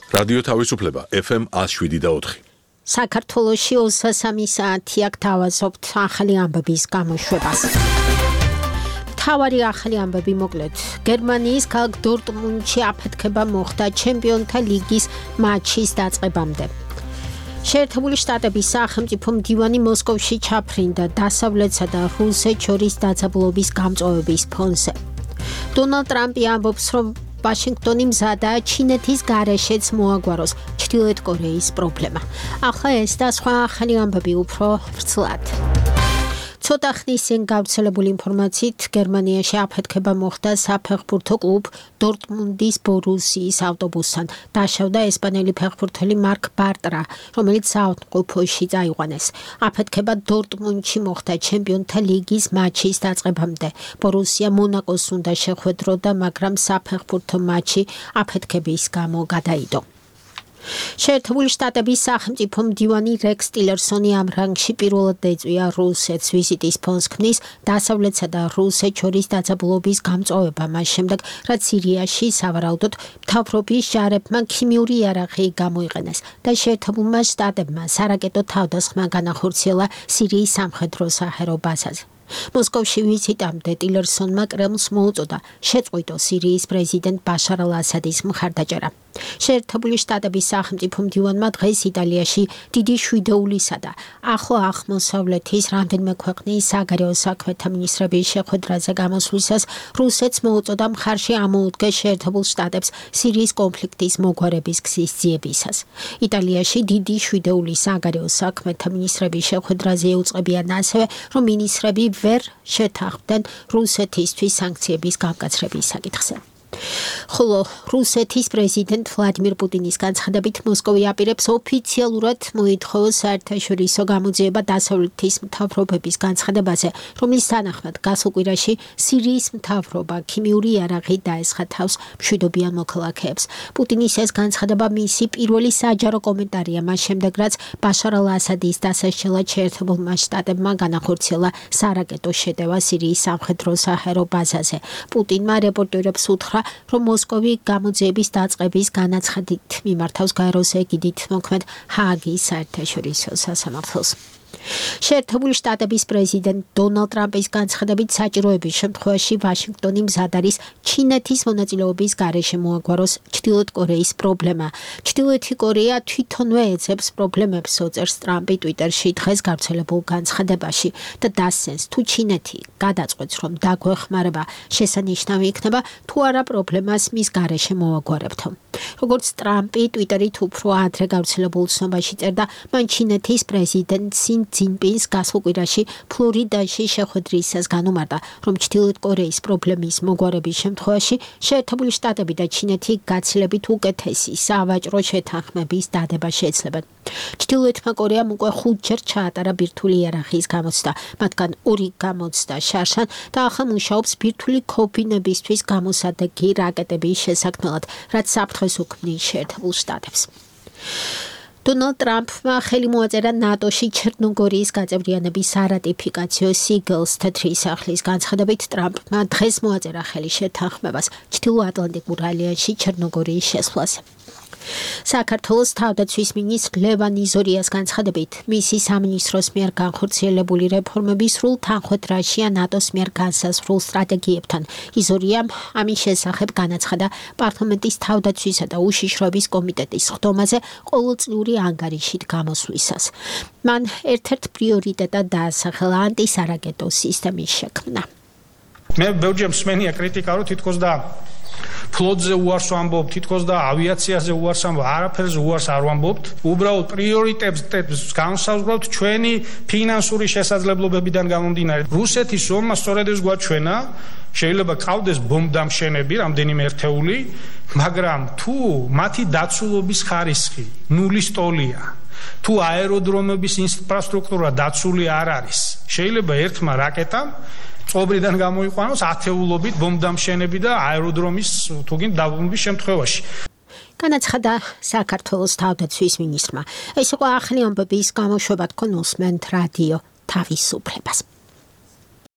რადიო თავისუფლება FM 107.4. საქართველოში 23 საათი აქ თავაზობთ ახალი ამბების გამოშვებას. მთავარი ახალი ამბები მოკლედ. გერმანიის ქალაქ დორტმუნდში აფეთქება მოხდა ჩემპიონთა ლიგის მატჩის დაწყებამდე. შეერთებული შტატების სახელმწიფო მდივანი მოსკოვში ჩაფრინდა დასავლეთსა და რუსეთს შორის დაძაბულობის გამწვავების ფონზე. დონალდ ტრამპი ამბობს, რომ ვაშინგტონი მზადაა ჩინეთის გარეშეც მოაგვაროს ჩრდილოეთ კორეის პრობლემა. ახლა ეს და სხვა ახალი ამბები უფრო ვრცლად. ცოტა ხნის წინ გავრცელებული ინფორმაციით გერმანიაში აფეთქება მოხდა საფეხბურთო კლუბ დორტმუნდის ბორუსიის ავტობუსთან. დაშავდა ესპანელი ფეხბურთელი მარკ ბარტრა, რომელიც საავადმყოფოში წაიყვანეს. აფეთქება დორტმუნდში მოხდა ჩემპიონთა ლიგის მატჩის დაწყებამდე. ბორუსია მონაკოს უნდა შეხვედროდა, მაგრამ საფეხბურთო მატჩი აფეთქების გამო გადაიდო. შეერთებული შტატების სახელმწიფო მდივანი რექს ტილერსონი ამ რანგში პირველად ეწვია რუსეთს. ვიზიტის ფონს ქმნის დასავლეთსა და რუსეთს შორის დაძაბულობის გამწვავება მას შემდეგ, რაც სირიაში სავარაუდოდ მთავრობის ჯარებმა ქიმიური იარაღი გამოიყენეს და შეერთებულმა შტატებმა სარაკეტო თავდასხმა განახორციელა სირიის სამხედრო საჰაერო ბაზაზე. მოსკოვში ვიზიტამდე ტილერსონმა კრემლს მოუწოდა შეწყვიტო სირიის პრეზიდენტ ბაშარ ალ-ასადის მხარდაჭერა. შეერთებული შტატების სახელმწიფო მდივანმა დღეს იტალიაში დიდი შვიდეულისა და ახლო აღმოსავლეთის რამდენიმე ქვეყნის საგარეო საქმეთა მინისტრების შეხვედრაზე გამოსვლისას რუსეთს მოუწოდა მხარში ამოუდგეს შეერთებულ შტატებს სირიის კონფლიქტის მოგვარების გზის ძიებისას. იტალიაში დიდი შვიდეულის საგარეო საქმეთა მინისტრების შეხვედრაზე ეუწყებიან ასევე, რომ მინისტრები ვერ შეთანხმდნენ რუსეთისთვის სანქციების გამკაცრების საკითხზე. ხოლო რუსეთის პრეზიდენტ ვლადიმირ პუტინის განცხადებით მოსკოვი აპირებს ოფიციალურად მოითხოვოს საერთაშორისო გამოძიება დასავლეთის მთავრობების განცხადებაზე, რომლის თანახმად გასულ კვირაში სირიის მთავრობა ქიმიური იარაღით დაესხა თავს მშვიდობიან მოქალაქეებს. პუტინის ეს განცხადება მისი პირველი საჯარო კომენტარია მას შემდეგ, რაც ბაშარ ალ-ასადის დასასჯელად შეერთებულმა შტატებმა განახორციელა სარაკეტო შეტევა სირიის სამხედრო საჰაერო ბაზაზე. პუტინმა რეპორტერებს უთხრა, რომ მოსკოვი გამოძიების დაწყების განაცხადით მიმართავს გაეროს ეგიდით მოქმედ ჰააგის საერთაშორისო სასამართლოს. შეერთებული შტატების პრეზიდენტ დონალდ ტრამპის განცხადებით საჭიროების შემთხვევაში ვაშინგტონი მზად არის ჩინეთის მონაწილეობის გარეშე მოაგვაროს ჩრდილოეთ კორეის პრობლემა. ჩრდილოეთი კორეა თვითონვე ეძებს პრობლემებს, ოწერს ტრამპი ტვიტერში დღეს გავრცელებულ განცხადებაში და დასცენს, თუ ჩინეთი გადაწყვეტს, რომ დაგვეხმარება, შესანიშნავი იქნება, თუ არა პრობლემას მის გარეშე მოაგვარებთო. როგორც ტრამპი ტვიტერით უფრო ადრე გავრცელებულ ცნობაში წერდა, მან ჩინეთის პრეზიდენტ სინ ძინპინს გასულ კვირაში ფლორიდაში შეხვედრისას განუმარტა, რომ ჩრდილოეთ კორეის პრობლემის მოგვარების შემთხვევაში შეერთებული შტატები და ჩინეთი გაცილებით უკეთესი სავაჭრო შეთანხმების დადება შეეცლებენ. ჩრდილოეთმა კორეამ უკვე 5 ჯერ ჩაატარა ბირთვული იარაღის გამოცდა, მათგან 2 გამოცდა შარშან და ახლა მუშაობს ბირთვული ქოფინებისთვის გამოსადეგი რაკეტების შესაქმნელად, რაც საფრთხეს უქმნის შეერთებულ შტატებს. დონალდ ტრამპმა ხელი მოაწერა ნატოში ჩერნოგორიის გაწევრიანების არატიფიკაციო სიგელს თეთრი სახლის განცხადებით ტრამპმა დღეს მოაწერა ხელი შეთანხმებას ჩრდილოატლანტიკურ ალიანსში ჩერნოგორიის შესვლაზე. საქართველოს თავდაცვის მინისტრ ლევან იზორიას განცხადებით, მისი სამინისტროს მიერ განხორციელებული რეფორმების სრულ თანხმოთრაშია ნატოს მიერ განსაზღვრულ სტრატეგიებთან. იზორიამ ამის შესახებ განაცხადა პარლამენტის თავდაცვისა და უშიშროების კომიტეტის ხდომაზე ყოველწლიური ანგარიშით გამოსვლისას. მან ერთ-ერთ პრიორიტეტად დაასახელა ანტისარაკეტო სისტემის შექმნა. მე ბევრჯერ მსმენია კრიტიკა, რომ თითქოს და ფლოტზე უარს ვამბობთ, თითქოს და ავიაციაზე უარს ვამბობთ, არაფერზე უარს არ ვამბობთ. უბრალოდ პრიორიტეტებს განსაზღვრავთ ჩვენი ფინანსური შესაძლებლობებიდან გამომდინარე. რუსეთის ომმა სწორედ ეს გვაჩვენა, შეიძლება ყავდეს ბომბდამშენები რამდენიმე ერთეული, მაგრამ თუ მათი დაცულობის ხარისხი ნულის ტოლია, თუ აეროდრომების ინფრასტრუქტურა დაცული არ არის, შეიძლება ერთმა რაკეტამ წობრიდან გამოიყვანოს ათეულობით ბომბდამშენები და აეროდრომის თუგინ დაბრუნების შემთხვევაში. განაცხადა საქართველოს თავდაცვის მინისტრმა. ეს იყო ახალი ამბების გამოშვება, თქვენ უსმენთ რადიო თავისუფლებას.